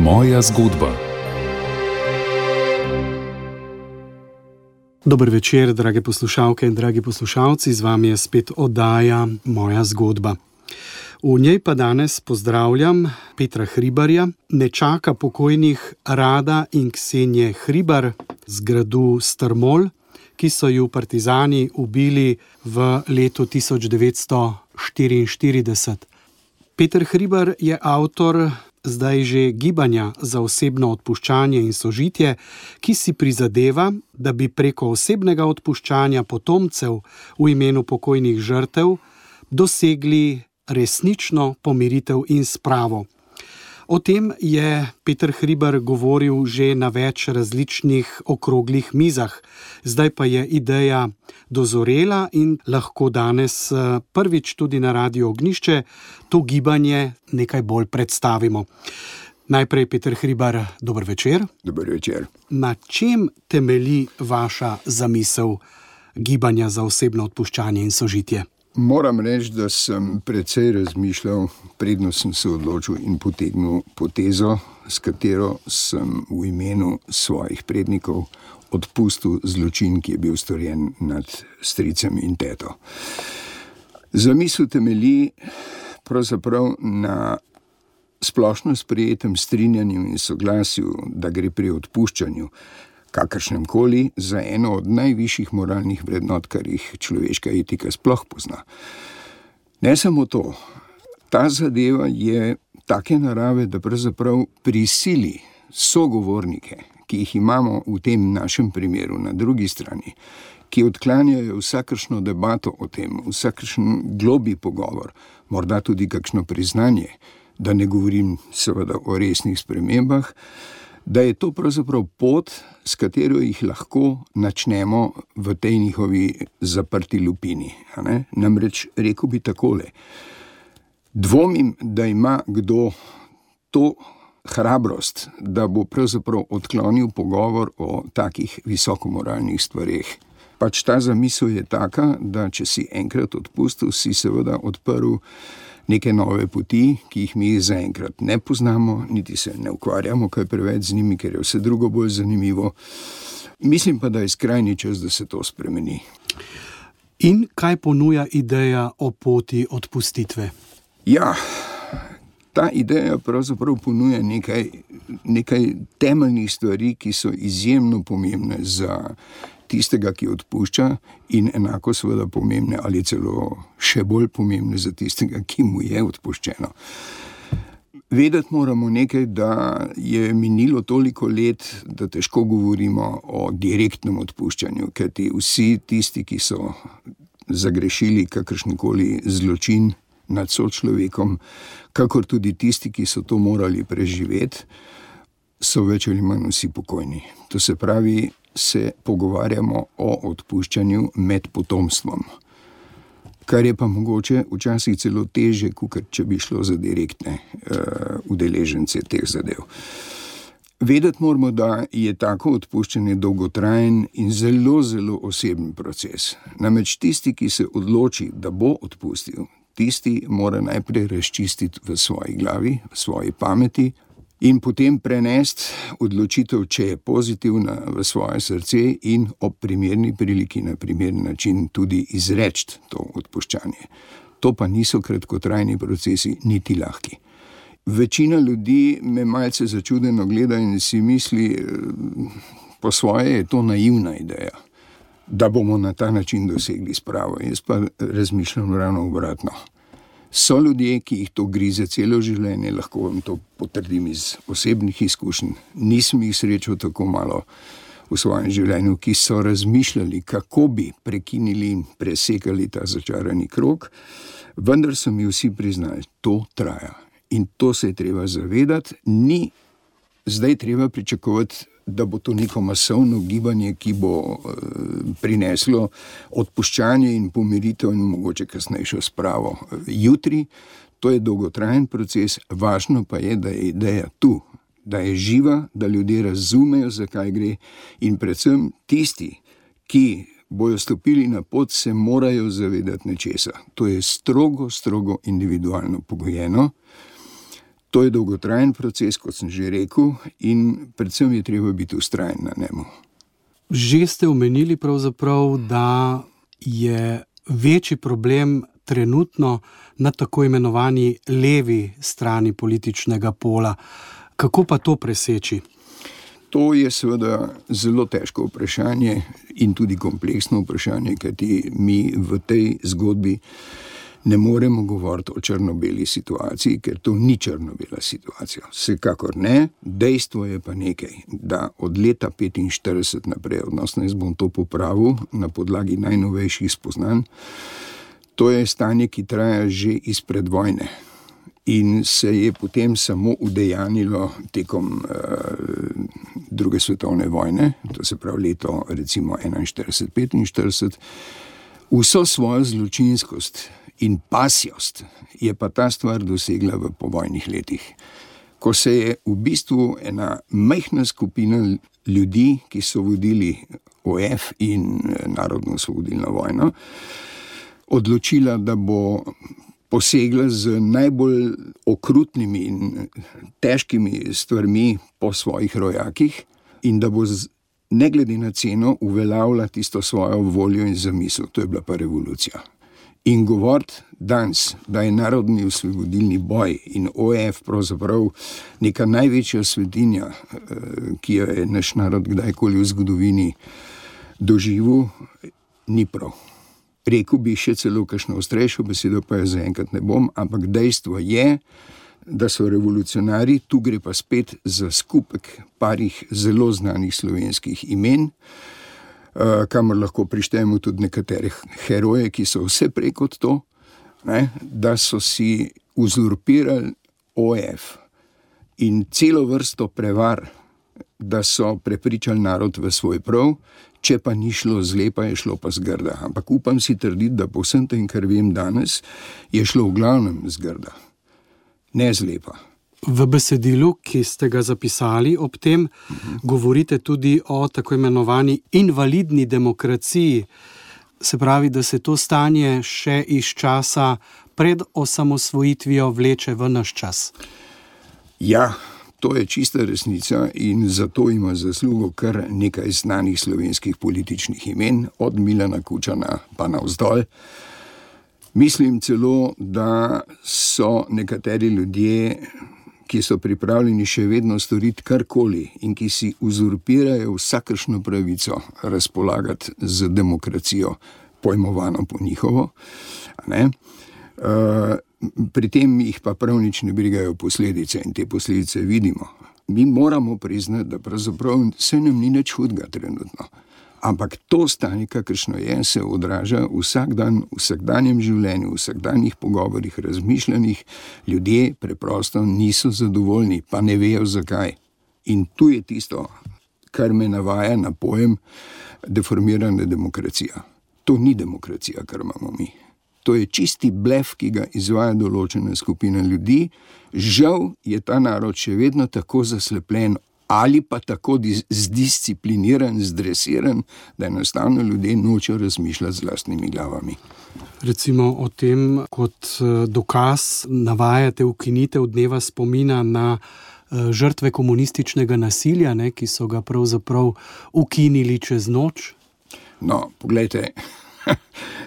Moja zgodba. Dober večer, drage poslušalke in dragi poslušalci, z vami je spet oddaja Moja zgodba. V njej pa danes pozdravljam Petra Hribarja, nečaka pokojnih Rada in Ksenije Hribar z gradu Strmol, ki so ju partizani ubili v letu 1944. Peter Hribar je avtor zdaj že gibanja za osebno odpuščanje in sožitje, ki si prizadeva, da bi preko osebnega odpuščanja potomcev v imenu pokojnih žrtev dosegli resnično pomiritev in spravo. O tem je Peter Hribar govoril že na več različnih okroglih mizah. Zdaj pa je ideja dozorela in lahko danes prvič tudi na Radiu Ognjišče to gibanje nekaj bolj predstavimo. Najprej, Peter Hribar, dober večer. Dober večer. Na čem temelji vaša zamisel gibanja za osebno odpuščanje in sožitje? Moram reči, da sem precej razmišljal, predno sem se odločil in potegnil potezo, s katero sem v imenu svojih prednikov odpustil zločin, ki je bil storjen nad stricem in teto. Zamisel temelji pravzaprav na splošno sprejetem strinjanju in soglasju, da gre pri odpuščanju kakršnemkoli za eno od najvišjih moralnih vrednot, kar jih človeška etika sploh pozna. Ne samo to, ta zadeva je take narave, da pravzaprav prisili sogovornike, ki jih imamo v tem našem primeru na drugi strani, ki odklanjajo vsakršno debato o tem, vsakršen globlji pogovor, morda tudi kakšno priznanje, da ne govorim seveda o resnih spremembah, da je to pravzaprav pot, s katero jih lahko načnemo v tej njihovi zaprti lupini. Namreč rekel bi takole: dvomim, da ima kdo to hrabrost, da bo pravzaprav odklonil pogovor o takih visokomoralnih stvareh. Pač ta zamisel je taka, da če si enkrat odpustil, si seveda odprl neke nove poti, ki jih mi zaenkrat ne poznamo, niti se ne ukvarjamo kaj preveč z njimi, ker je vse drugo bolj zanimivo. Mislim pa, da je skrajni čas, da se to spremeni. In kaj ponuja ideja o poti odpustitve? Ja, ta ideja pravzaprav ponuja nekaj temeljnih stvari, ki so izjemno pomembne za tistega, ki odpušča, in enako seveda pomembne ali celo še bolj pomembne za tistega, ki mu je odpuščeno. Vedeti moramo nekaj, da je minilo toliko let, da težko govorimo o direktnem odpuščanju, kajti vsi tisti, ki so zagrešili kakršenkoli zločin nad sočlovekom, kakor tudi tisti, ki so to morali preživeti, so več ali manj vsi pokojni. To se pravi, se pogovarjamo o odpuščanju med potomstvom, kar je pa mogoče včasih celo težje, kot če bi šlo za direktne udeležence teh zadev. Vedeti moramo, da je tako odpuščanje dolgotrajen in zelo, zelo oseben proces. Namreč tisti, ki se odloči, da bo odpustil, tisti mora najprej razčistiti v svoji glavi, v svoji pameti, in potem prenesti odločitev, če je pozitivna, v svoje srce in ob primerni priliki na primerni način tudi izreči to odpuščanje. To pa niso kratkotrajni procesi, niti lahki. Večina ljudi me malce začudeno gleda in si misli, po svoje je to naivna ideja, da bomo na ta način dosegli spravo. Jaz pa razmišljam ravno obratno. So ljudje, ki jih to grize celo življenje, lahko vam to potrdim iz osebnih izkušenj. Nisem jih srečal tako malo v svojem življenju, ki so razmišljali, kako bi prekinili in presekali ta začarani krog, vendar so mi vsi priznali, to traja. In to se je treba zavedati, ni zdaj treba pričakovati, da bo to neko masovno gibanje, ki bo prineslo odpuščanje in pomiritev in mogoče kasnejšo spravo. Jutri, to je dolgotrajen proces, važno pa je, da je ideja tu, da je živa, da ljudje razumejo, zakaj gre, in predvsem tisti, ki bojo stopili na pot, se morajo zavedati nečesa. To je strogo individualno pogojeno. To je dolgotrajen proces, kot sem že rekel, in predvsem je treba biti vztrajen na njemu. Že ste omenili pravzaprav, da je večji problem trenutno na tako imenovani levi strani političnega pola. Kako pa to preseči? To je seveda zelo težko vprašanje in tudi kompleksno vprašanje, kajti mi v tej zgodbi ne moremo govoriti o črno-beli situaciji, ker to ni črno-bela situacija. Vsekakor ne, dejstvo je pa nekaj, da od leta 1945 naprej, odnosno jaz bom to popravil na podlagi najnovejših spoznanj, to je stanje, ki traja že izpred vojne in se je potem samo udejanilo tekom druge svetovne vojne, to se pravi leto recimo 1941-1945, vso svojo zločinskost in pasjost je pa ta stvar dosegla v povojnih letih, ko se je v bistvu ena majhna skupina ljudi, ki so vodili OF in Narodno-osvobodilno vojno, odločila, da bo posegla z najbolj okrutnimi in težkimi stvarmi po svojih rojakih in da bo ne glede na ceno uveljavila tisto svojo voljo in zamisel. To je bila pa revolucija. In govoriti danes, da je narodni osvobodilni boj in OF pravzaprav neka največja svetinja, ki jo je naš narod kdajkoli v zgodovini doživel, ni prav. Rekel bi še celo kakšno ostrejšo besedo, pa je zaenkrat ne bom, ampak dejstvo je, da so revolucionarji, tu gre pa spet za skupek parih zelo znanih slovenskih imen, kamor lahko prištejemo tudi nekatere heroje, ki so vse prej kot to, da so si uzurpirali OF in celo vrsto prevar, da so prepričali narod v svoj prav, če pa ni šlo zle, pa je šlo pa zgrda. Ampak upam si trditi, da po vsem tem, kar vem danes, je šlo v glavnem zgrda, ne zlepa. V besedilu, ki ste ga zapisali ob tem, govorite tudi o tako imenovani invalidni demokraciji. Se pravi, da se to stanje še iz časa pred osamosvojitvijo vleče v naš čas. Ja, to je čista resnica in zato ima zaslugo kar nekaj znanih slovenskih političnih imen, od Milana Kučana pa navzdol. Mislim celo, da so nekateri ljudje, ki so pripravljeni še vedno storiti karkoli in ki si uzurpirajo vsakršno pravico razpolagati z demokracijo, pojmovano po njihovo, pri tem jih pa prav nič ne brigajo posledice in te posledice vidimo. Mi moramo priznati, da pravzaprav se nam ni nič hudega trenutno. Ampak to stanje, kakršno je, se odraža vsak dan, v vsakdanjem življenju, v vsakdanjih pogovorih, razmišljanjih. Ljudje preprosto niso zadovoljni, pa ne vejo zakaj. In tu je tisto, kar me navaja na pojem deformirana demokracija. To ni demokracija, kar imamo mi. To je čisti blef, ki ga izvaja določena skupina ljudi. Žal je ta narod še vedno tako zaslepljen ali pa tako zdiscipliniran, zdresiran, da enostavno ljudje nočejo razmišljati z lastnimi glavami. Recimo o tem kot dokaz navajate ukinitev dneva spomina na žrtve komunističnega nasilja, ki so ga pravzaprav ukinili čez noč. No, poglejte,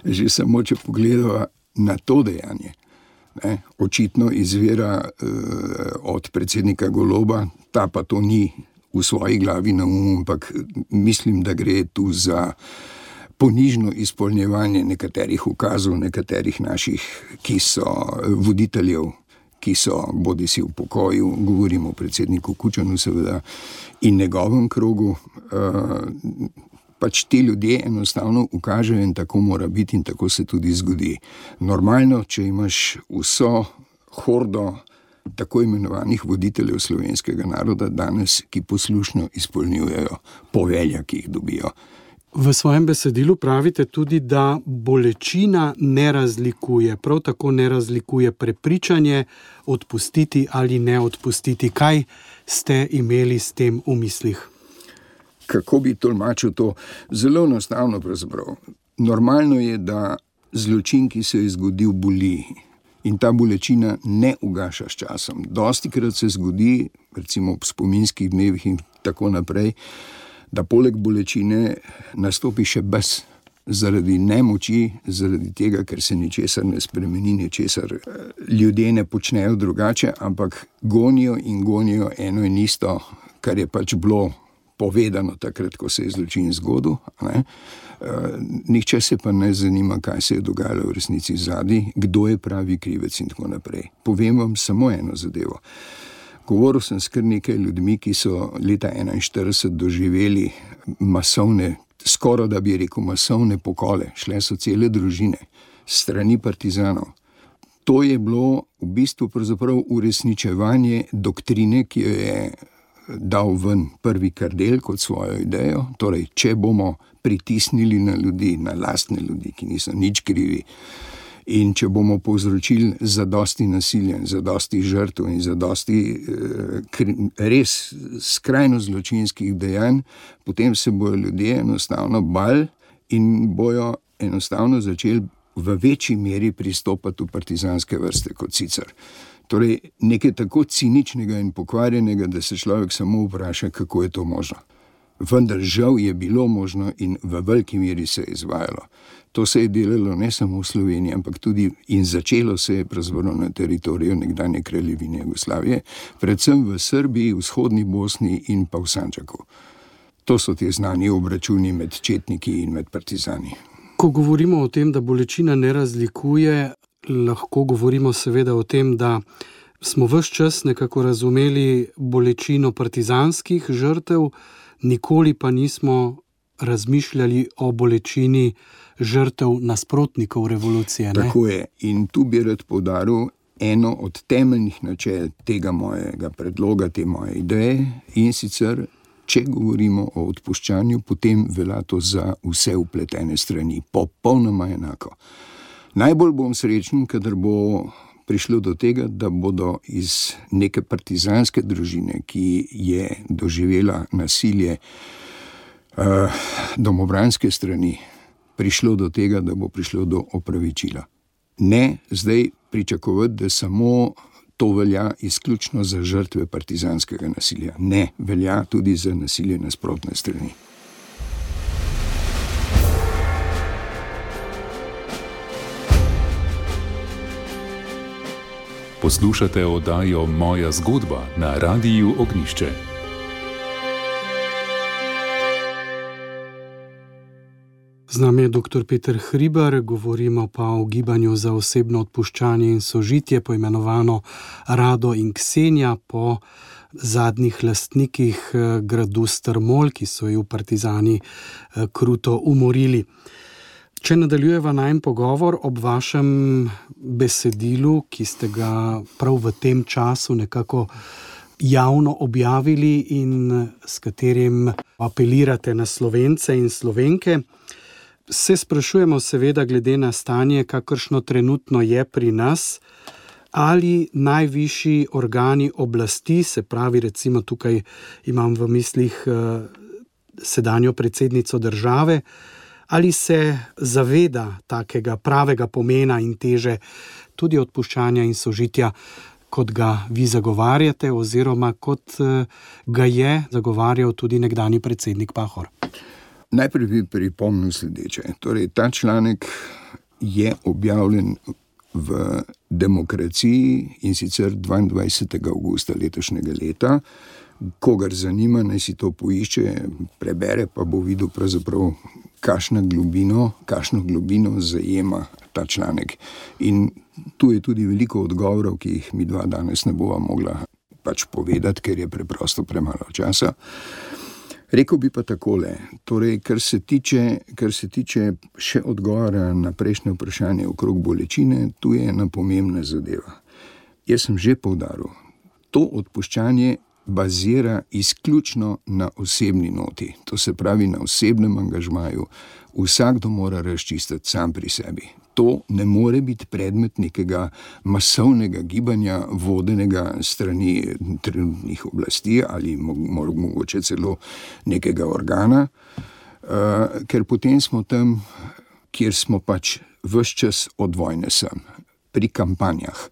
že samo če pogledava na to dejanje, očitno izvira od predsednika Goloba, ta pa to ni v svoji glavi na umu, ampak mislim, da gre tu za ponižno izpolnjevanje nekaterih ukazov, nekaterih naših, ki so voditeljev, ki so bodisi v pokoju, govorimo o predsedniku Kučanu seveda, in njegovem krogu. Pač ti ljudje enostavno ukažejo in tako mora biti in tako se tudi zgodi. Normalno, če imaš vso hordo tako imenovanih voditeljev slovenskega naroda danes, ki poslušno izpolnjujejo povelja, ki jih dobijo. V svojem besedilu pravite tudi, da bolečina ne razlikuje, prav tako ne razlikuje prepričanje, odpustiti ali ne odpustiti. Kaj ste imeli s tem v mislih? Kako bi tolmačil to? Zelo enostavno pravzaprav. Normalno je, da zločin, ki se je zgodil, boli. In ta bolečina ne ugaša s časom. Dostikrat se zgodi, recimo ob spominskih dnevih in tako naprej, da poleg bolečine nastopi še bes. Zaradi nemoči, zaradi tega, ker se ničesar ne spremeni, ničesar ljudje ne počnejo drugače, ampak gonijo in gonijo eno in isto, kar je pač bilo povedano takrat, ko se je zločin zgodil. Nihče se pa ne zanima, kaj se je dogajalo v resnici zadaj, kdo je pravi krivec in tako naprej. Povem vam samo eno zadevo. Govoril sem s kar nekaj ljudmi, ki so leta 1941 doživeli masovne, skoraj da bi rekel masovne pokole. Šle so cele družine strani partizanov. To je bilo v bistvu pravzaprav uresničevanje doktrine, ki jo je dal ven prvi Kardel kot svojo idejo. Torej, če bomo pritisnili na ljudi, na lastne ljudi, ki niso nič krivi, in če bomo povzročili zadosti nasilja, zadosti žrtev in zadosti res skrajno zločinskih dejanj, potem se bojo ljudje enostavno bali in bojo enostavno začeli v večji meri pristopati v partizanske vrste kot sicer. Torej, nekaj tako ciničnega in pokvarjenega, da se človek samo vpraša, kako je to možno. Vendar žal je bilo možno in v veliki meri se je izvajalo. To se je delalo ne samo v Sloveniji, ampak tudi in začelo se je pravzaprav na teritoriju nekdanje kraljevine Jugoslavije, predvsem v Srbiji, vzhodni Bosni in pa v Sandžaku. To so ti znani obračuni med četniki in med partizani. Ko govorimo o tem, da bolečina ne razlikuje, lahko govorimo seveda o tem, da smo ves čas nekako razumeli bolečino partizanskih žrtev, nikoli pa nismo razmišljali o bolečini žrtev nasprotnikov revolucije. Ne? Tako je. In tu bi rad poudaril eno od temeljnih načel tega mojega predloga, te moje ideje, in sicer, če govorimo o odpuščanju, potem velja to za vse vpletene strani, popolnoma enako. Najbolj bom srečen, kadar bo prišlo do tega, da bodo iz neke partizanske družine, ki je doživela nasilje domobranske strani, prišlo do tega, da bo prišlo do opravičila. Ne zdaj pričakovati, da samo to velja izključno za žrtve partizanskega nasilja. Ne, velja tudi za nasilje nasprotne strani. Poslušate oddajo Moja zgodba na Radiu Ognjišče. Z nami je dr. Peter Hribar, govorimo pa o gibanju za osebno odpuščanje in sožitje, poimenovano Rado in Ksenija, po zadnjih lastnikih gradu Strmol, ki so ju partizani kruto umorili. Če nadaljujeva najin pogovor ob vašem besedilu, ki ste ga prav v tem času nekako javno objavili in s katerim apelirate na Slovence in Slovenke, se sprašujemo seveda glede na stanje, kakršno trenutno je pri nas, ali najvišji organi oblasti, se pravi recimo tukaj imam v mislih sedanjo predsednico države, ali se zaveda takega pravega pomena in teže tudi odpuščanja in sožitja, kot ga vi zagovarjate, oziroma kot ga je zagovarjal tudi nekdanji predsednik Pahor? Najprej bi pripomnil sledeče. Torej, ta članek je objavljen v Demokraciji in sicer 22. avgusta letošnjega leta. Kogar zanima, naj si to poišče, prebere, pa bo videl pravzaprav, kakšno globino zajema ta članek. In tu je tudi veliko odgovorov, ki jih mi dva danes ne bova mogla pač povedati, ker je preprosto premalo časa. Rekel bi pa takole, torej, kar se tiče še odgovora na prejšnje vprašanje okrog bolečine, tu je ena pomembna zadeva. Jaz sem že poudaril, to odpuščanje bazira izključno na osebni noti, to se pravi na osebnem angažmaju. Vsakdo mora razčistiti sam pri sebi. To ne more biti predmet nekega masovnega gibanja, vodenega strani trenutnih oblasti ali mogoče celo nekega organa, ker potem smo tam, kjer smo pač ves čas od vojne sem. pri kampanjah.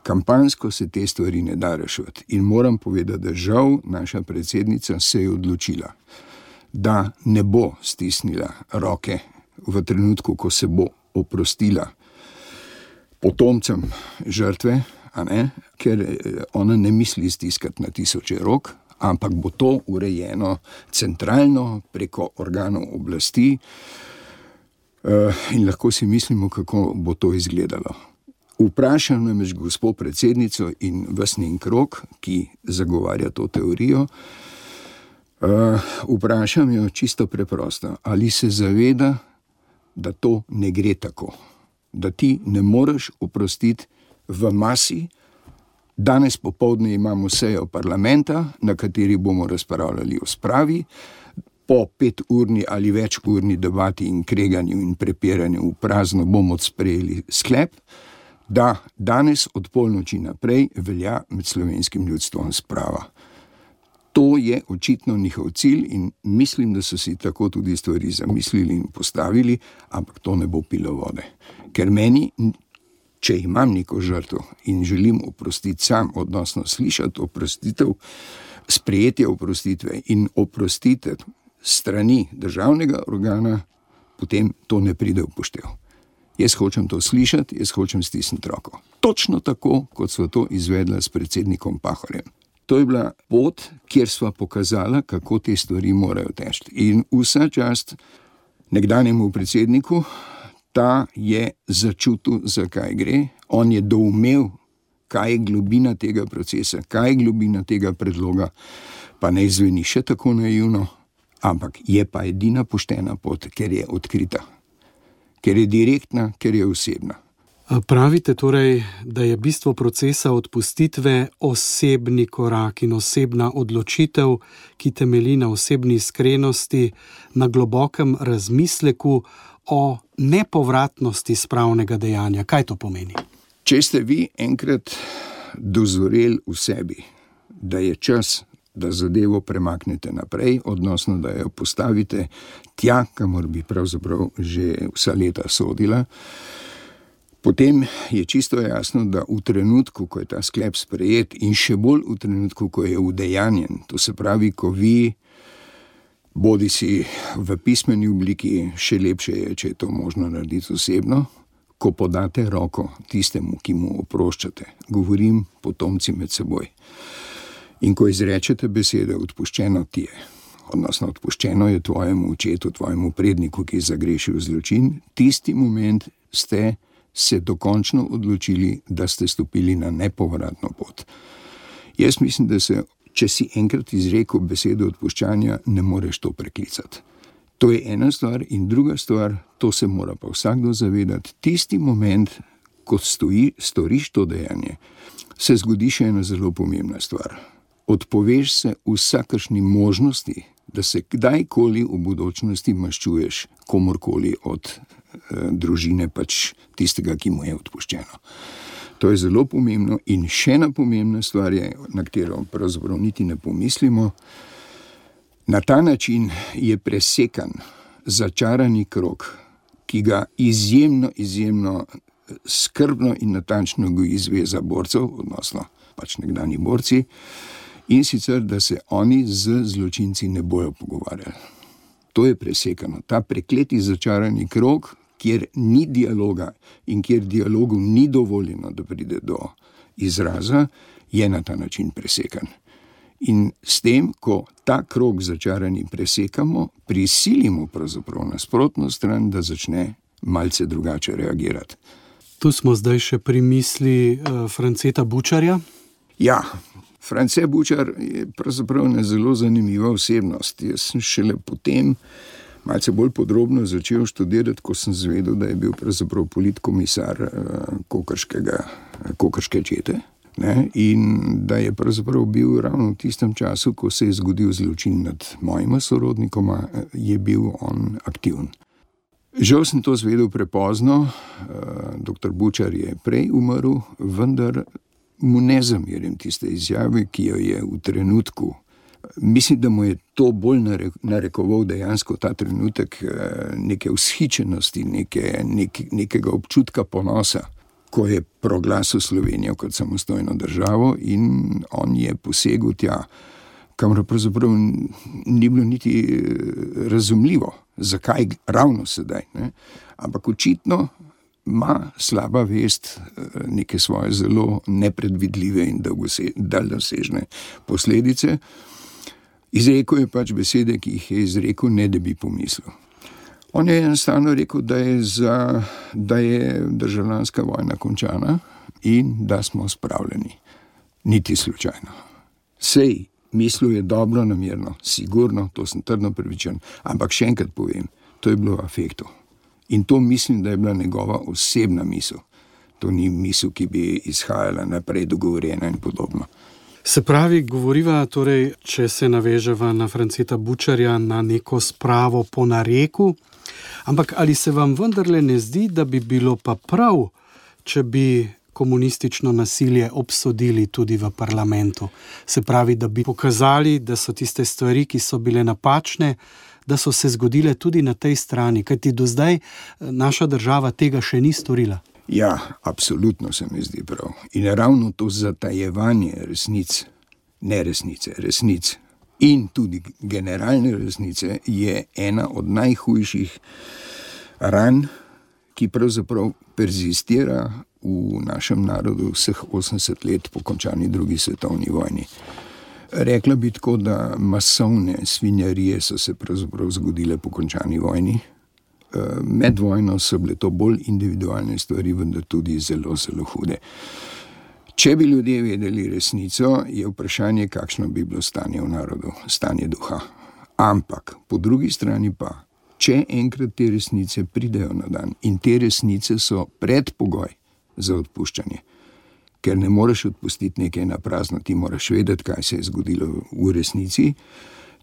Kampanjsko se te stvari ne da rešiti. In moram povedati, da žal naša predsednica se je odločila, da ne bo stisnila roke v trenutku, ko se bo oprostila potomcem žrtve, ker ona ne misli stiskati na tisoče rok, ampak bo to urejeno centralno preko organov oblasti in lahko si mislimo, kako bo to izgledalo. Vprašam namreč gospo predsednico in ves njen krog, ki zagovarja to teorijo, vprašam jo čisto preprosto, ali se zaveda, da to ne gre tako, da ti ne moreš oprostiti v masi. Danes popoldne imamo sejo parlamenta, na kateri bomo razpravljali o spravi, po 5-urni ali večurni debati in kreganju in prepiranju v prazno bomo sprejeli sklep, da danes od polnoči naprej velja med slovenskim ljudstvom sprava. To je očitno njihov cilj in mislim, da so si tako tudi stvari zamislili in postavili, ampak to ne bo pilo vode. Ker meni, če imam neko žrtev in želim oprostiti sam, odnosno slišati oprostitev, sprejetje oprostitve in oprostitev strani državnega organa, potem to ne pride v poštev. Jaz hočem to slišati, jaz hočem stisniti roko. Točno tako, kot sva to izvedla s predsednikom Pahorjem. To je bila pot, kjer sva pokazala, kako te stvari morajo teči. In vsa čast nekdanjemu predsedniku, ta je začutil, zakaj gre. On je doumel, kaj je globina tega procesa, kaj je globina tega predloga, pa ne zveni še tako naivno, ampak je pa edina poštena pot, ker je odkrita, ker je direktna, ker je osebna. Pravite torej, da je bistvo procesa odpustitve osebni korak in osebna odločitev, ki temelji na osebni iskrenosti, na globokem razmisleku o nepovratnosti spravnega dejanja. Kaj to pomeni? Če ste vi enkrat dozoreli v sebi, da je čas, da zadevo premaknete naprej, odnosno da jo postavite tja, kamor bi pravzaprav že vsa leta sodila, potem je čisto jasno, da v trenutku, ko je ta sklep sprejet in še bolj v trenutku, ko je udejanjen, to se pravi, ko vi bodi si v pismeni obliki, še lepše je, če je to možno narediti osebno, ko podate roko tistemu, ki mu oproščate, govorim potomci med seboj. In ko izrečete besede, odpuščeno ti je, odnosno odpuščeno je tvojemu očetu, tvojemu predniku, ki je zagrešil zločin, tisti moment ste se dokončno odločili, da ste stopili na nepovratno pot. Jaz mislim, da se, če si enkrat izrekel besedo odpuščanja, ne moreš to preklicati. To je ena stvar in druga stvar, to se mora pa vsakdo zavedati. Tisti moment, ko storiš to dejanje, se zgodi še ena zelo pomembna stvar. Odpoveš se vsakršni možnosti, da se kdajkoli v budočnosti maščuješ komorkoli od družine, pač tistega, ki mu je odpuščeno. To je zelo pomembno in še ena pomembna stvar je, na katero pravzaprav niti ne pomislimo. Na ta način je presekan začarani krog, ki ga izjemno skrbno in natančno goji zveza borcev, odnosno pač nekdanji borci, in sicer, da se oni z zločinci ne bojo pogovarjali. To je presekano. Ta prekleti začarani krog, kjer ni dialoga in kjer dialogu ni dovoljeno, da pride do izraza, je na ta način presekan. In s tem, ko ta krog začarani presekamo, prisilimo pravzaprav nasprotno stran, da začne malce drugače reagirati. Tu smo zdaj še pri misli Franceta Bučarja. Ja, France Bučar je pravzaprav ena zelo zanimiva osebnost. Jaz sem šele potem malce bolj podrobno začel študirati, ko sem zvedel, da je bil pravzaprav politkomisar kokrške čete. In da je pravzaprav bil ravno v tistem času, ko se je zgodil zločin nad mojima sorodnikoma, je bil on aktiven. Žal sem to zvedel prepozno, dr. Bučar je prej umrl, vendar mu ne zamerim tiste izjave, ki jo je v trenutku. Mislim, da mu je to bolj narekoval dejansko ta trenutek neke vzhičenosti, nekega občutka ponosa. ko je proglasil Slovenijo kot samostojno državo in on je posegel tja, kamor pravzaprav ni bilo niti razumljivo, zakaj ravno sedaj, ne? Ampak očitno ima slaba vest neke svoje zelo nepredvidljive in daljnosežne posledice. Izrekel je pač besede, ki jih je izrekel, ne da bi pomislil. On je enostavno rekel, da je državljanska vojna končana in da smo spravljeni. Niti slučajno. Sej, mislil je dobro namerno, sigurno, to sem trdno prepričan, ampak še enkrat povem, to je bilo v afektu. In to mislim, da je bila njegova osebna misel. To ni misel, ki bi izhajala naprej dogovorjena in podobno. Se pravi, govoriva, torej, če se naveževa na Franceta Bučarja, na neko spravo po nareku, ampak ali se vam vendarle ne zdi, da bi bilo pa prav, če bi komunistično nasilje obsodili tudi v parlamentu? Se pravi, da bi pokazali, da so tiste stvari, ki so bile napačne, da so se zgodile tudi na tej strani, kajti do zdaj naša država tega še ni storila. Ja, absolutno se mi zdi prav. In ravno to zatajevanje resnic, resnic in tudi generalne resnice je ena od najhujših ran, ki pravzaprav perzistira v našem narodu vseh 80 let po končani drugi svetovni vojni. Rekla bi tako, da masovne svinjarije so se pravzaprav zgodile po končani vojni. Med vojno so bile to bolj individualne stvari, vendar tudi zelo, zelo hude. Če bi ljudje vedeli resnico, je vprašanje, kakšno bi bilo stanje v narodu, stanje duha. Ampak po drugi strani pa, če enkrat te resnice pridejo na dan in te resnice so predpogoj za odpuščanje, ker ne moreš odpustiti nekaj na prazno, ti moraš vedeti, kaj se je zgodilo v resnici.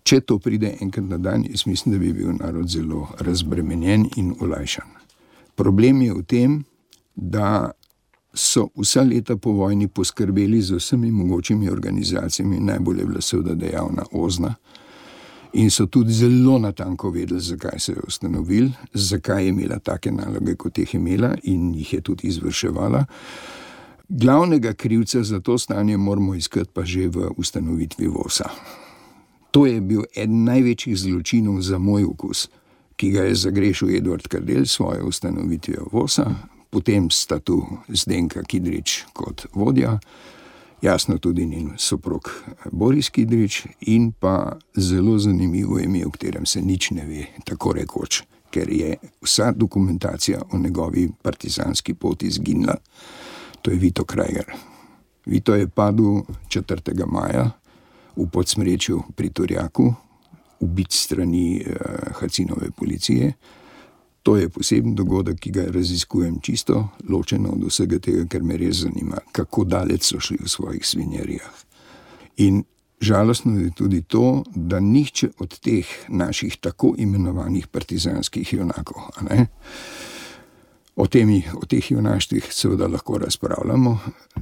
Če to pride enkrat na dan, jaz mislim, da bi bil narod zelo razbremenjen in olajšan. Problem je v tem, da so vsa leta po vojni poskrbeli z vsemi mogočimi organizacijami, najbolj je bila seveda dejavna OZNA, in so tudi zelo natanko vedeli, zakaj se je ustanovil, zakaj je imela take naloge, kot jih je imela in jih je tudi izvrševala. Glavnega krivca za to stanje moramo iskati pa že v ustanovitvi VOS-a. To je bil eden največjih zločinov za moj okus, ki ga je zagrešil Edvard Kardelj s svojo ustanovitvijo VOS-a, potem sta tu Zdenka Kidrič kot vodja, jasno tudi njen soprog Boris Kidrič in pa zelo zanimivo ime, o katerem se nič ne ve, tako rekoč, ker je vsa dokumentacija o njegovi partizanski poti izginila. To je Vito Krager. Vito je padel 4. maja v Podsmrečju pri Turjaku, ubit strani Hacinove policije. To je poseben dogodek, ki ga raziskujem čisto ločeno od vsega tega, ker me res zanima, kako daleč so šli v svojih svinjarijah. In žalostno je tudi to, da nihče od teh naših tako imenovanih partizanskih junakov, o teh junaštvih seveda lahko razpravljamo,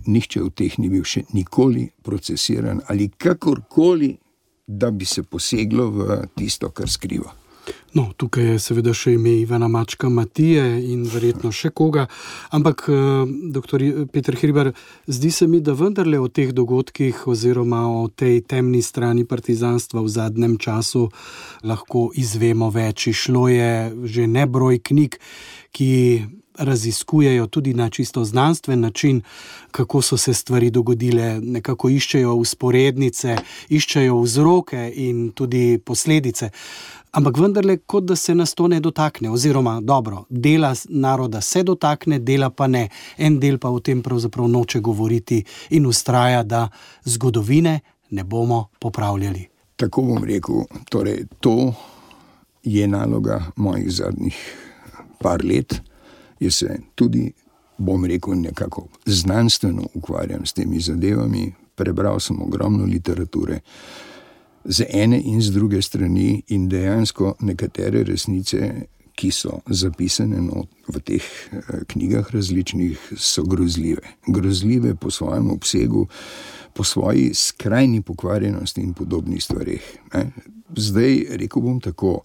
nihče od teh ni bil še nikoli procesiran ali kakorkoli, da bi se poseglo v tisto, kar skriva. No, tukaj je seveda še ime Ivana Mačka Matije in verjetno še koga, ampak doktor Peter Hribar, zdi se mi, da vendarle o teh dogodkih oziroma o tej temni strani partizanstva v zadnjem času lahko izvemo več. Šlo je že nebroj knjig, ki raziskujejo tudi na čisto znanstven način, kako so se stvari dogodile, nekako iščejo vzporednice, iščejo vzroke in tudi posledice. Ampak vendarle, kot da se nas to ne dotakne, oziroma dobro, dela naroda se dotakne, dela pa ne. En del pa o tem pravzaprav noče govoriti in vztraja, da zgodovine ne bomo popravljali. Tako bom rekel, torej to je naloga mojih zadnjih par let. Jaz se tudi, bom rekel, nekako znanstveno ukvarjam s temi zadevami, prebral sem ogromno literature z ene in z druge strani in dejansko nekatere resnice, ki so zapisane v teh knjigah različnih, so grozljive. Grozljive po svojem obsegu, po svoji skrajni pokvarjenosti in podobnih stvareh. Zdaj, rekel bom tako,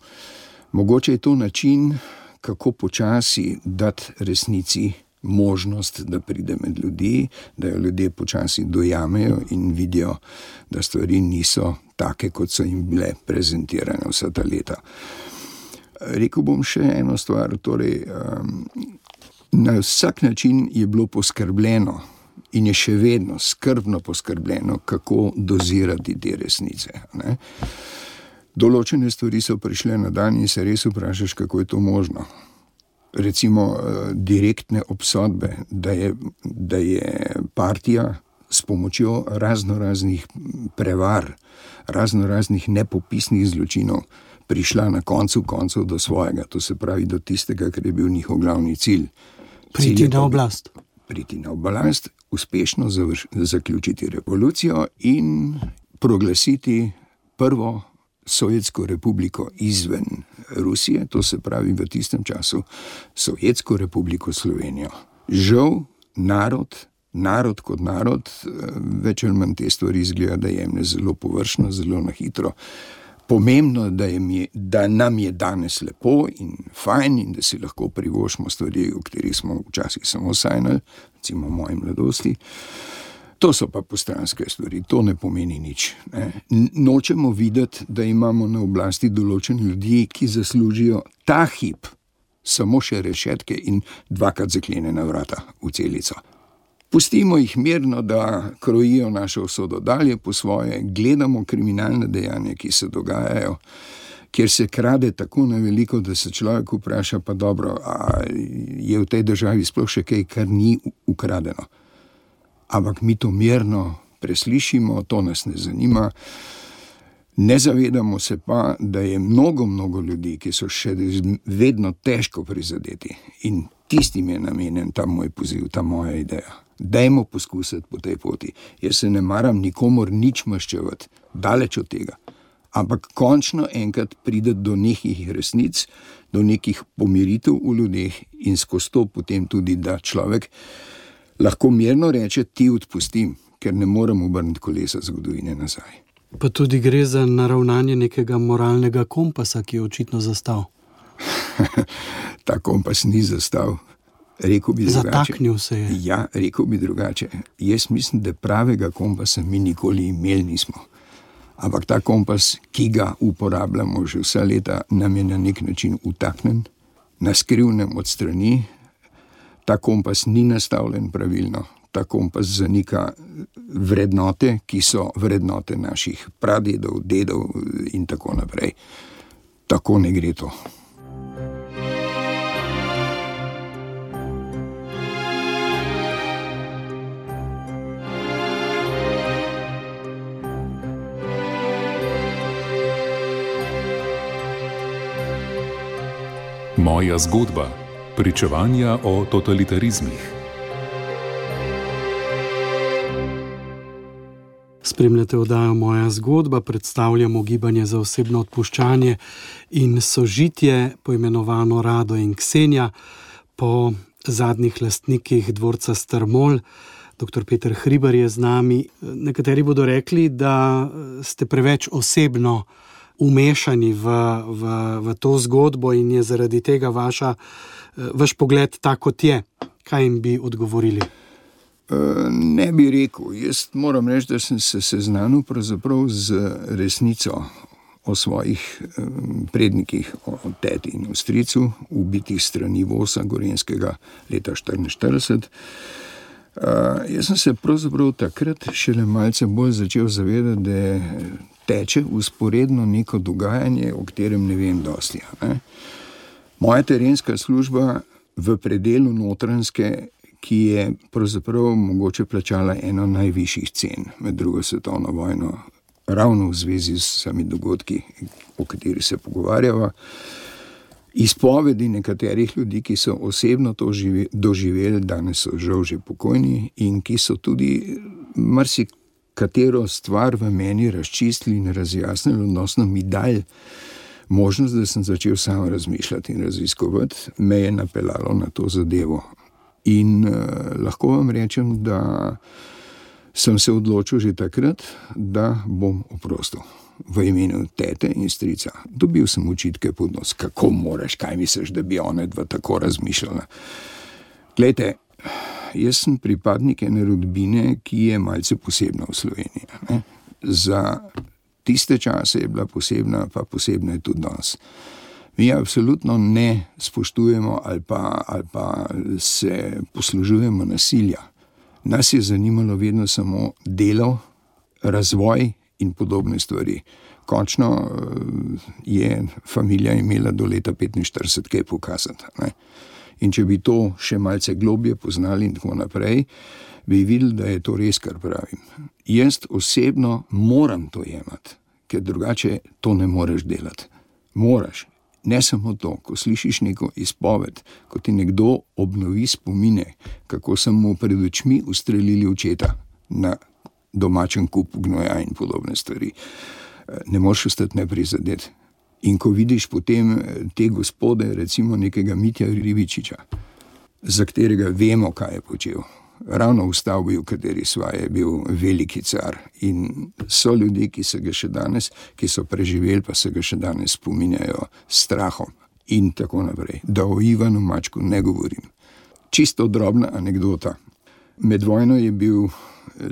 mogoče je to način, kako počasi dati resnici možnost, da pride med ljudi, da jo ljudje počasi dojamejo in vidijo, da stvari niso take, kot so jim bile prezentirane vsa ta leta. Rekel bom še eno stvar, torej na vsak način je bilo poskrbljeno in je še vedno skrbno poskrbljeno, kako dozirati te resnice, ne? Določene stvari so prišle na dan in se res vprašaš, kako je to možno. Recimo direktne obsodbe, da je partija s pomočjo raznoraznih prevar, raznoraznih nepopisnih zločinov prišla na koncu koncev do svojega, to se pravi do tistega, kar je bil njihov glavni cilj. Priti na oblast. Priti na oblast, uspešno zaključiti revolucijo in proglasiti prvo Sovjetsko republiko izven Rusije, to se pravi v tistem času Sovjetsko republiko Slovenijo. Žal, narod kot narod, več ali manj te stvari izgleda, da jemlje zelo površno, zelo na hitro. Pomembno, da nam je danes lepo in fajn in da si lahko privoščimo stvari, o katerih smo včasih samo sanjali, recimo v moji mladosti. To so pa postranske stvari, to ne pomeni nič. Ne. Nočemo videti, da imamo na oblasti določene ljudi, ki zaslužijo ta hip samo še rešetke in dvakrat zaklenjena vrata v celico. Pustimo jih mirno, da krojijo našo usodo dalje po svoje, gledamo kriminalne dejanja, ki se dogajajo, kjer se krade tako na veliko, da se človek vpraša, pa dobro, a je v tej državi sploh še kaj, kar ni ukradeno. Ampak mi to mirno preslišimo, to nas ne zanima. Ne zavedamo se pa, da je mnogo ljudi, ki so še vedno težko prizadeti in tistim je namenjen ta moj poziv, ta moja ideja. Dajmo poskusiti po tej poti. Jaz se ne maram nikomor nič maščevati, daleč od tega. Ampak končno enkrat pride do nekih resnic, do nekih pomiritev v ljudeh in skozi to potem tudi, da človek lahko mirno reče, ti odpustim, ker ne morem obrniti kolesa zgodovine nazaj. Pa tudi gre za naravnanje nekega moralnega kompasa, ki je očitno zastal. Ta kompas ni zastal. Rekel bi drugače. Zataknil se je. Ja, rekel bi drugače. Jaz mislim, da pravega kompasa mi nikoli imeli nismo. Ampak ta kompas, ki ga uporabljamo že vsa leta, nam je na nek način utaknen, na skrivnem od strani. Ta kompas ni nastavljen pravilno. Ta kompas zanika vrednote, ki so vrednote naših pradedov, dedov in tako naprej. Tako ne gre to. Moja zgodba. Pričevanja o totalitarizmih. Spremljate oddajo Moja zgodba, predstavljamo gibanje za osebno odpuščanje in sožitje, poimenovano Rado in Ksenija, po zadnjih lastnikih dvorca Strmol. Dr. Peter Hribar je z nami. Nekateri bodo rekli, da ste preveč osebno umešani v to zgodbo in je zaradi tega vaš pogled tak, kot je. Kaj jim bi odgovorili? Ne bi rekel. Jaz moram reči, da sem se seznanil pravzaprav z resnico o svojih prednikih, o teti in o stricu, ubitih strani vosa Gorenjskega leta 1944. Jaz sem se pravzaprav takrat šele malce bolj začel zavedati, da teče vzporedno neko dogajanje, o katerem ne vem dosti. Ne? Moja terenska služba v predelu Notranjske, ki je pravzaprav mogoče plačala eno najvišjih cen med drugo svetovno vojno, ravno v zvezi s sami dogodki, o kateri se pogovarjava, izpovedi nekaterih ljudi, ki so osebno to doživeli, danes so žal že pokojni in ki so tudi marsikatero stvar v meni razčistili in razjasnili, odnosno mi dali možnost, da sem začel sam razmišljati in raziskovati, me je napeljalo na to zadevo. In lahko vam rečem, da sem se odločil že takrat, da bom oprostil v imenu tete in strica. Dobil sem očitke pod nos, kako moraš, kaj misliš, da bi one dva tako razmišljala. Glejte, jaz sem pripadnik ene rodbine, ki je malce posebna v Sloveniji. Ne? Za tiste čase je bila posebna, pa posebna je tudi danes. Mi absolutno ne spoštujemo ali pa se poslužujemo nasilja. Nas je zanimalo vedno samo delo, razvoj in podobne stvari. Končno je familija imela do leta 45 kaj pokazati. Ne? In če bi to še malce globje poznali in tako naprej, bi videli, da je to res, kar pravim. Jaz osebno moram to jemati, ker drugače to ne moreš delati. Moraš. Ne samo to, ko slišiš neko izpoved, ko ti nekdo obnovi spomine, kako so mu pred očmi ustrelili očeta na domačem kupu gnoja in podobne stvari. Ne moreš ostati neprizadet. In ko vidiš potem te gospode, recimo nekega Mitja Ribičiča, za katerega vemo, kaj je počel, ravno v stavbi, v kateri sva, je bil veliki car. In so ljudje, ki se ga še danes, ki so preživeli, pa se ga še danes spominjajo s strahom in tako naprej. Da o Ivanu Mačku ne govorim. Čisto drobna anekdota. Med vojno je bil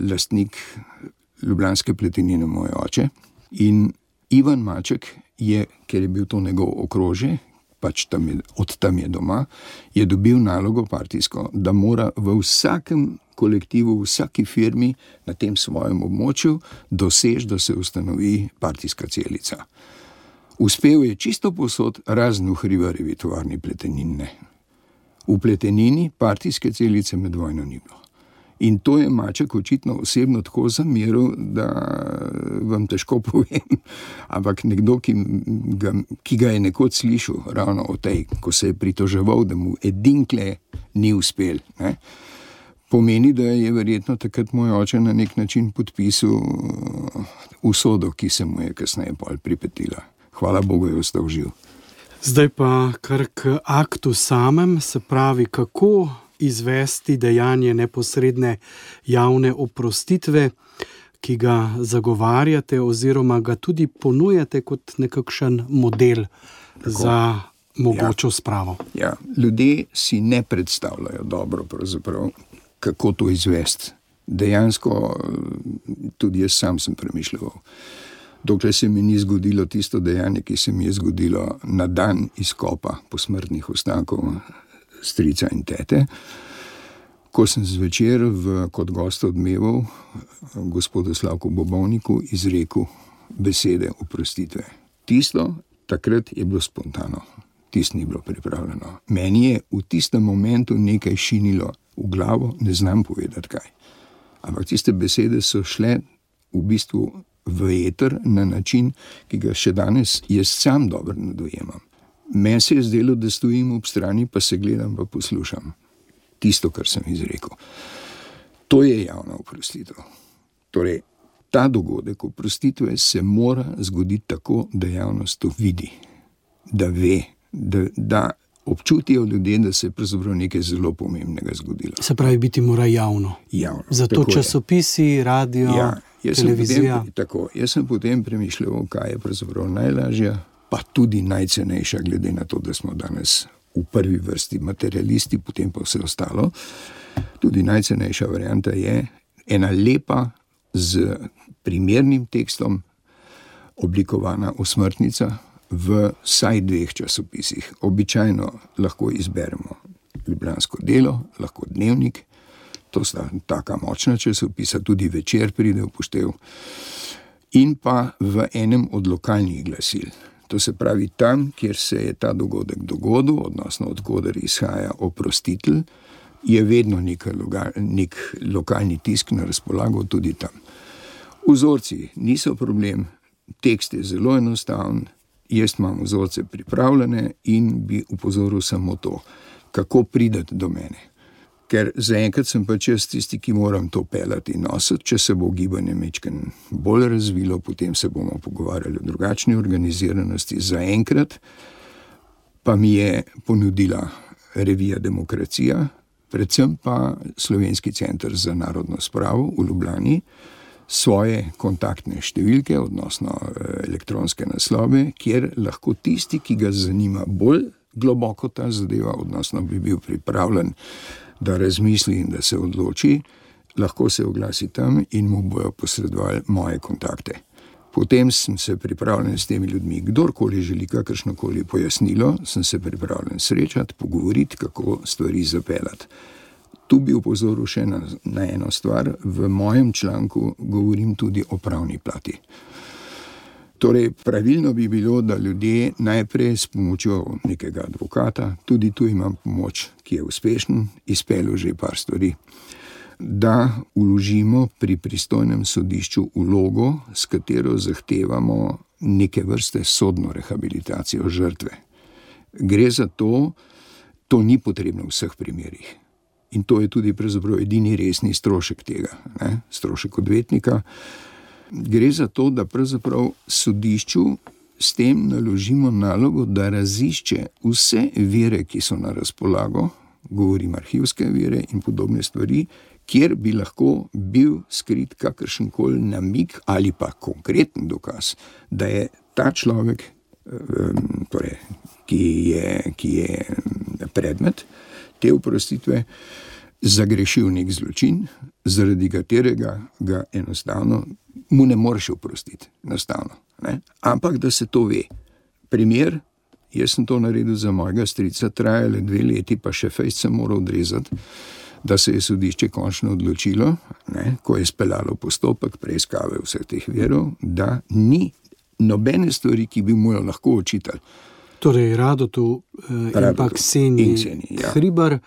lastnik Ljubljanske pletenine moj oče in Ivan Maček je, ker je bil to njegov okrožje, pač od tam je doma, je dobil nalogo partijsko, da mora v vsakem kolektivu, v vsaki firmi na tem svojem območju doseči, da se ustanovi partijska celica. Uspel je čisto povsod, razen v Hribarjevi tovarni pletenine. V pletenini partijske celice med vojno ni bilo. In to je Maček očitno osebno tako zameril, da vam težko povem. Ampak nekdo, ki ga je nekoč slišal ravno o tej, ko se je pritoževal, da mu edinkle ni uspel, ne, pomeni, da je verjetno takrat moj oče na nek način podpisal usodo, ki se mu je kasneje pol pripetila. Hvala Bogu, je ostal živ. Zdaj pa kar k aktu samem, se pravi, kako izvesti dejanje neposredne javne oprostitve, ki ga zagovarjate oziroma ga tudi ponujate kot nekakšen model za mogočo spravo. Ja, ljudje si ne predstavljajo dobro pravzaprav, kako to izvesti. Dejansko tudi jaz sam sem premišljal. Dokler se mi ni zgodilo tisto dejanje, ki se mi je zgodilo na dan izkopa posmrtnih ostankov strica in tete, ko sem zvečer kot gost odmeval gospodu Slavku Bobovniku izrekel besede oprostitve. Tisto takrat je bilo spontano, tisto ni bilo pripravljeno. Meni je v tistem momentu nekaj šinilo v glavo, ne znam povedati kaj. Ampak tiste besede so šle v bistvu v eter na način, ki ga še danes jaz sam dobro ne dojemam. Meni se je zdelo, da stojim ob strani, pa se gledam, pa poslušam tisto, kar sem izrekel. To je javna oprostitev. Torej, ta dogodek oprostitve se mora zgoditi tako, da javnost to vidi, da ve, da občutijo ljudje, da se je pravzaprav nekaj zelo pomembnega zgodilo. Se pravi, biti mora javno. Javno. Zato časopisi, radio, televizija. Jaz sem potem premišljal, kaj je pravzaprav najlažja, pa tudi najcenejša, glede na to, da smo danes v prvi vrsti materialisti, potem pa vse ostalo. Tudi najcenejša varianta je ena lepa, z primernim tekstom oblikovana osmrtnica v vsaj 2 časopisih. Običajno lahko izberemo Ljubljansko delo, lahko Dnevnik, to sta taka močna časopisa, tudi Večer pride v poštev, in pa v enem od lokalnih glasil. To se pravi, tam, kjer se je ta dogodek dogodil, odnosno odkoder izhaja oprostitelj, je vedno nek lokalni tisk na razpolago tudi tam. Vzorci niso problem, tekst je zelo enostaven, jaz imam vzorce pripravljene in bi upozoril samo to, kako prideti do mene. Ker zaenkrat sem pač jaz tisti, ki moram to pelati in nositi. Če se bo gibanje majčkeno bolj razvilo, potem se bomo pogovarjali o drugačni organiziranosti. Zaenkrat pa mi je ponudila revija Demokracija, predvsem pa Slovenski center za narodno spravo v Ljubljani, svoje kontaktne številke, odnosno elektronske naslove, kjer lahko tisti, ki ga zanima bolj globoko ta zadeva, odnosno bi bil pripravljen da razmisli in da se odloči, lahko se oglasi tam in mu bojo posredovali moje kontakte. Potem sem se pripravljen s temi ljudmi, kdorkoli želi kakršnokoli pojasnilo, sem se pripravljen srečati, pogovoriti, kako stvari zapeljati. Tu bi upozoril še na eno stvar, v mojem članku govorim tudi o pravni plati. Torej, pravilno bi bilo, da ljudje najprej s pomočjo nekega advokata, tudi tu imam pomoč, ki je uspešen, izpeljal že par stvari, da vložimo pri pristojnem sodišču vlogo, s katero zahtevamo neke vrste sodno rehabilitacijo žrtve. Gre za to ni potrebno v vseh primerih. In to je tudi pravzaprav edini resni strošek tega, ne? Strošek odvetnika. Gre za to, da pravzaprav sodišču s tem naložimo nalogo, da razišče vse vire, ki so na razpolago, govorim arhivske vire in podobne stvari, kjer bi lahko bil skrit kakršenkoli namig ali pa konkreten dokaz, da je ta človek, torej, ki je predmet te oprostitve, zagrešil nek zločin, zaradi katerega ga enostavno mu ne moreš oprostiti, enostavno, ne? Ampak da se to ve. Primer, jaz sem to naredil za mojega strica, trajale 2 leti, pa še fejst sem moral odrezati, da se je sodišče končno odločilo, ne, ko je speljalo postopek preiskave vseh teh virov, da ni nobene stvari, ki bi mu jo lahko očitali. Torej, Radotu in pa Kseniji Hribar,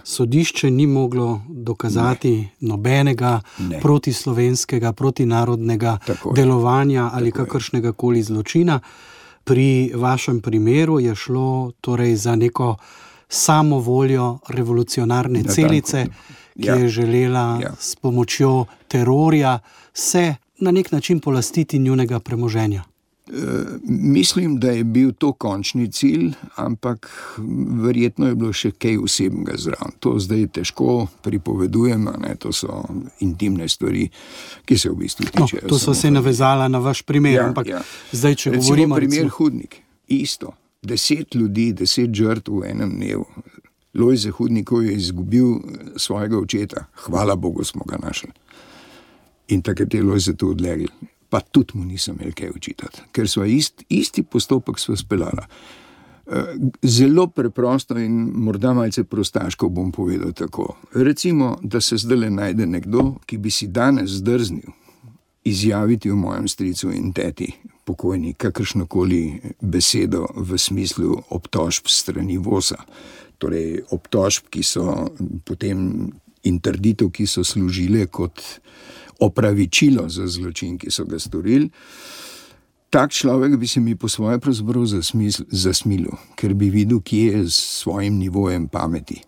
sodišče ni moglo dokazati nobenega protislovenskega, protinarodnega delovanja ali kakršnega koli zločina. Pri vašem primeru je šlo torej za neko samovoljo revolucionarne celice, ki je želela s pomočjo terorja se na nek način polastiti njunega premoženja. Mislim, da je bil to končni cilj, ampak verjetno je bilo še kaj osebnega zraven. To zdaj težko pripovedujem, ne? To so intimne stvari, ki se v bistvu tičejo. To so se navezala na vaš primer, ampak zdaj, če govorimo... Primer Hudnik, isto. 10 ljudi, 10 žrtev v enem dnevu. Lojze Hudnikov je izgubil svojega očeta. Hvala Bogu smo ga našli. In takrat je Lojze to odlegli. Pa tudi mu nisem imel kaj očitati, ker sva isti postopek sva speljala. Zelo preprosto in morda malce prostaško bom povedal tako. Recimo, da se zdajle najde nekdo, ki bi si danes zdrznil izjaviti v mojem stricu in teti pokojni kakršnokoli besedo v smislu obtožb strani VOS-a. Torej obtožb, ki so potem in trditev, ki so služile kot opravičilo za zločin, ki so ga storili. Tak človek bi se mi po svoje pravzaprav zasmilil, ker bi videl, kje je s svojim nivojem pameti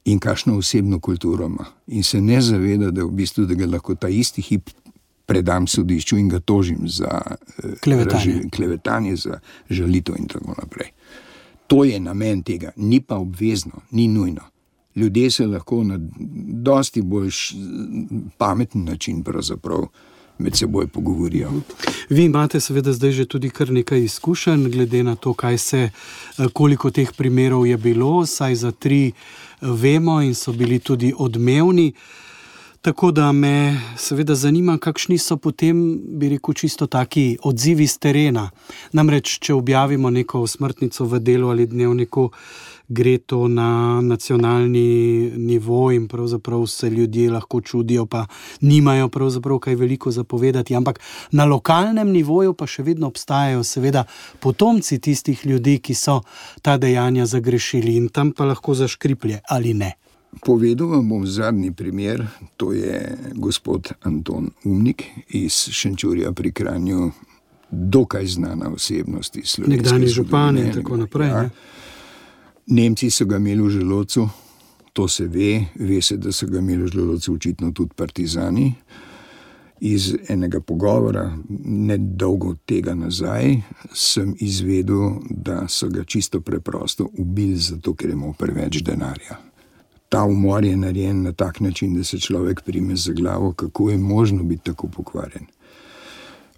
in kakšno osebno kulturo ima. In se ne zaveda, da v bistvu, da ga lahko ta isti hip predam sodišču in ga tožim za klevetanje, za žalitev in tako naprej. To je namen tega, ni pa obvezno, ni nujno. Ljudje se lahko na dosti bolj pameten način pravzaprav med seboj pogovorijo. Vi imate seveda zdaj že tudi kar nekaj izkušenj, glede na to, koliko teh primerov je bilo, saj za 3 vemo in so bili tudi odmevni. Tako da me seveda zanima, kakšni so potem, bi rekel, čisto taki odzivi z terena. Namreč, če objavimo neko smrtnico v Delu ali Dnevniku, gre to na nacionalni nivo in pravzaprav se ljudje lahko čudijo, pa nimajo pravzaprav kaj veliko zapovedati, ampak na lokalnem nivoju pa še vedno obstajajo seveda potomci tistih ljudi, ki so ta dejanja zagrešili in tam pa lahko zaškriplje ali ne. Povedal vam bom zadnji primer, to je gospod Anton Umnik iz Šenčurja pri Kranju, dokaj znana osebnost iz slovenske zgodovine. Nekdanji župan in tako naprej. Ja. Nemci so ga imeli v želodcu, to se ve se, da so ga imeli v želodcu očitno tudi partizani. Iz enega pogovora, nedolgo tega nazaj, sem izvedel, da so ga čisto preprosto ubili zato, ker je imel preveč denarja. Ta umor je narejen na tak način, da se človek prime za glavo, kako je možno biti tako pokvarjen.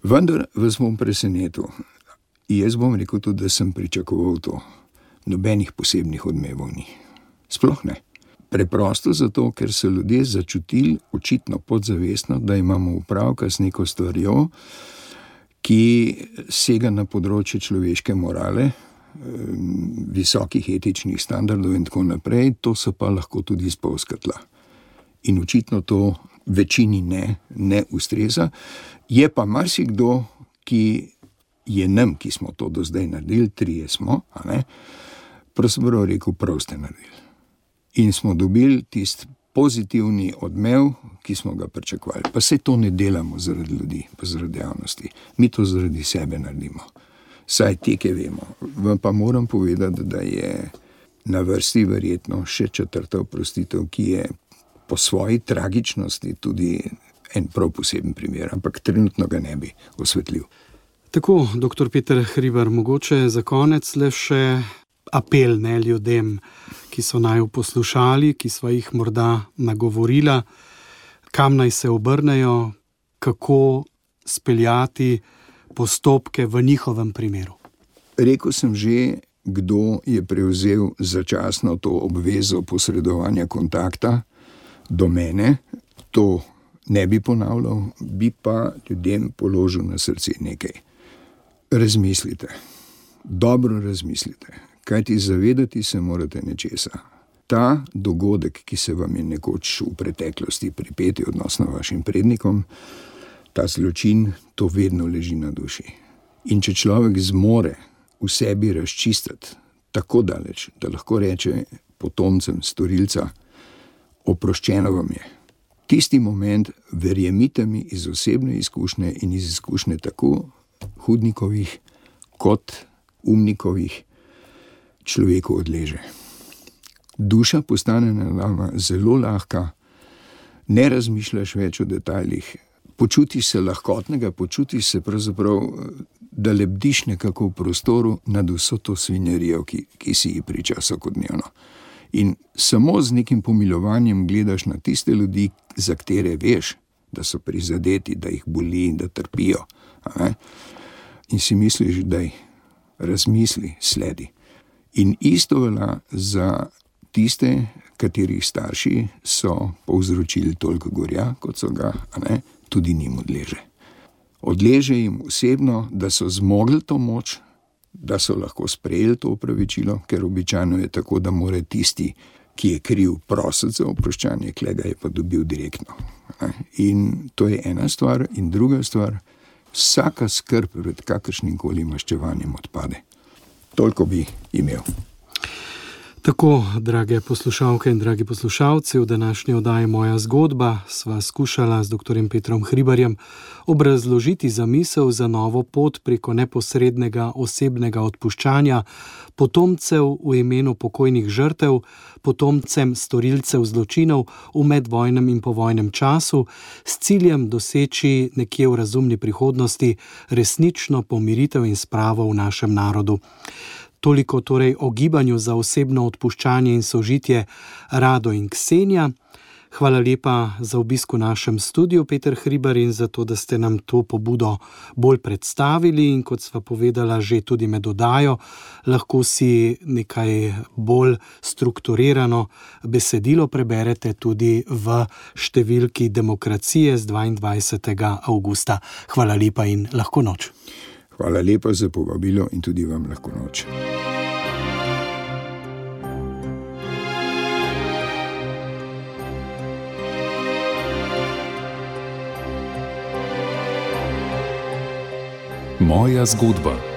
Vendar vas bom presenetil. Jaz bom rekel tudi, da sem pričakoval to. Nobenih posebnih odmevov ni. Sploh ne. Preprosto zato, ker so ljudje začutili, očitno podzavestno, da imamo opravka s neko stvarjo, ki sega na področje človeške morale, visokih etičnih standardov in tako naprej, to so pa lahko tudi spolzka tla. In očitno to večini ne ustreza. Je pa marsikdo, ki je nam, ki smo to do zdaj naredili, 3 smo, pravzaprav rekel, prav ste naredili. In smo dobili tisti pozitivni odmev, ki smo ga pričakovali. Pa se to ne delamo zaradi ljudi, pa zaradi javnosti. Mi to zaradi sebe naredimo. Saj teke vemo. Vam pa moram povedati, da je na vrsti verjetno še 4. oprostitev, ki je po svoji tragičnosti tudi en prav poseben primer, ampak trenutno ga ne bi osvetlil. Tako, dr. Peter Hribar, mogoče za konec le še apel ljudem, ki so naju poslušali, ki sva jih morda nagovorila, kam naj se obrnejo, kako speljati postopke v njihovem primeru. Rekel sem že, kdo je prevzel začasno to obvezo posredovanja kontakta do mene. To ne bi ponavljal, bi pa ljudem položil na srce nekaj. Razmislite, dobro razmislite, kajti zavedati se morate nečesa. Ta dogodek, ki se vam je nekoč v preteklosti pripetil odnosno vašim prednikom, ta zločin, to vedno leži na duši. In če človek zmore v sebi razčistiti tako daleč, da lahko reče potomcem storilca, oproščeno vam je. Tisti moment, verjemite mi, iz osebne izkušnje in iz izkušnje tako hudnikovih kot umnikovih, človeku odleže. Duša postane na nama zelo lahka, ne razmišljaš več o detajlih, počutiš se lahkotnega, počutiš se pravzaprav, da lebdiš nekako v prostoru nad vso to svinjarijo, ki si ji priča vsakodnevno. In samo z nekim pomilovanjem gledaš na tiste ljudi, za katere veš, da so prizadeti, da jih boli in da trpijo. In si misliš, da jih razmisli, sledi. In isto velja za tiste, katerih starši so povzročili toliko gorja, kot so ga, tudi njim odleže. Odleže jim osebno, da so zmogli to moč, da so lahko sprejeli to opravičilo, ker običajno je tako, da mora tisti, ki je kriv, prositi za oproščanje, klega je pa dobil direktno. In to je ena stvar. In druga stvar, vsaka skrb pred kakršnim koli maščevanjem odpade. Toliko bi imel. Tako, drage poslušalke in dragi poslušalci, v današnji oddaji Moja zgodba sva skušala z dr. Petrom Hribarjem obrazložiti zamisel za novo pot preko neposrednega osebnega odpuščanja potomcev v imenu pokojnih žrtev, potomcem storilcev zločinov v medvojnem in povojnem času, s ciljem doseči nekje v razumni prihodnosti resnično pomiritev in spravo v našem narodu. Toliko torej o gibanju za osebno odpuščanje in sožitje Rado in Ksenija. Hvala lepa za obisk v našem studiu, Peter Hribar, in za to, da ste nam to pobudo bolj predstavili in kot sva povedala že tudi med oddajo, lahko si nekaj bolj strukturirano besedilo preberete tudi v številki Demokracije z 22. avgusta. Hvala lepa in lahko noč. Hvala lepa za povabilo in tudi vam lahko noč. Moja zgodba.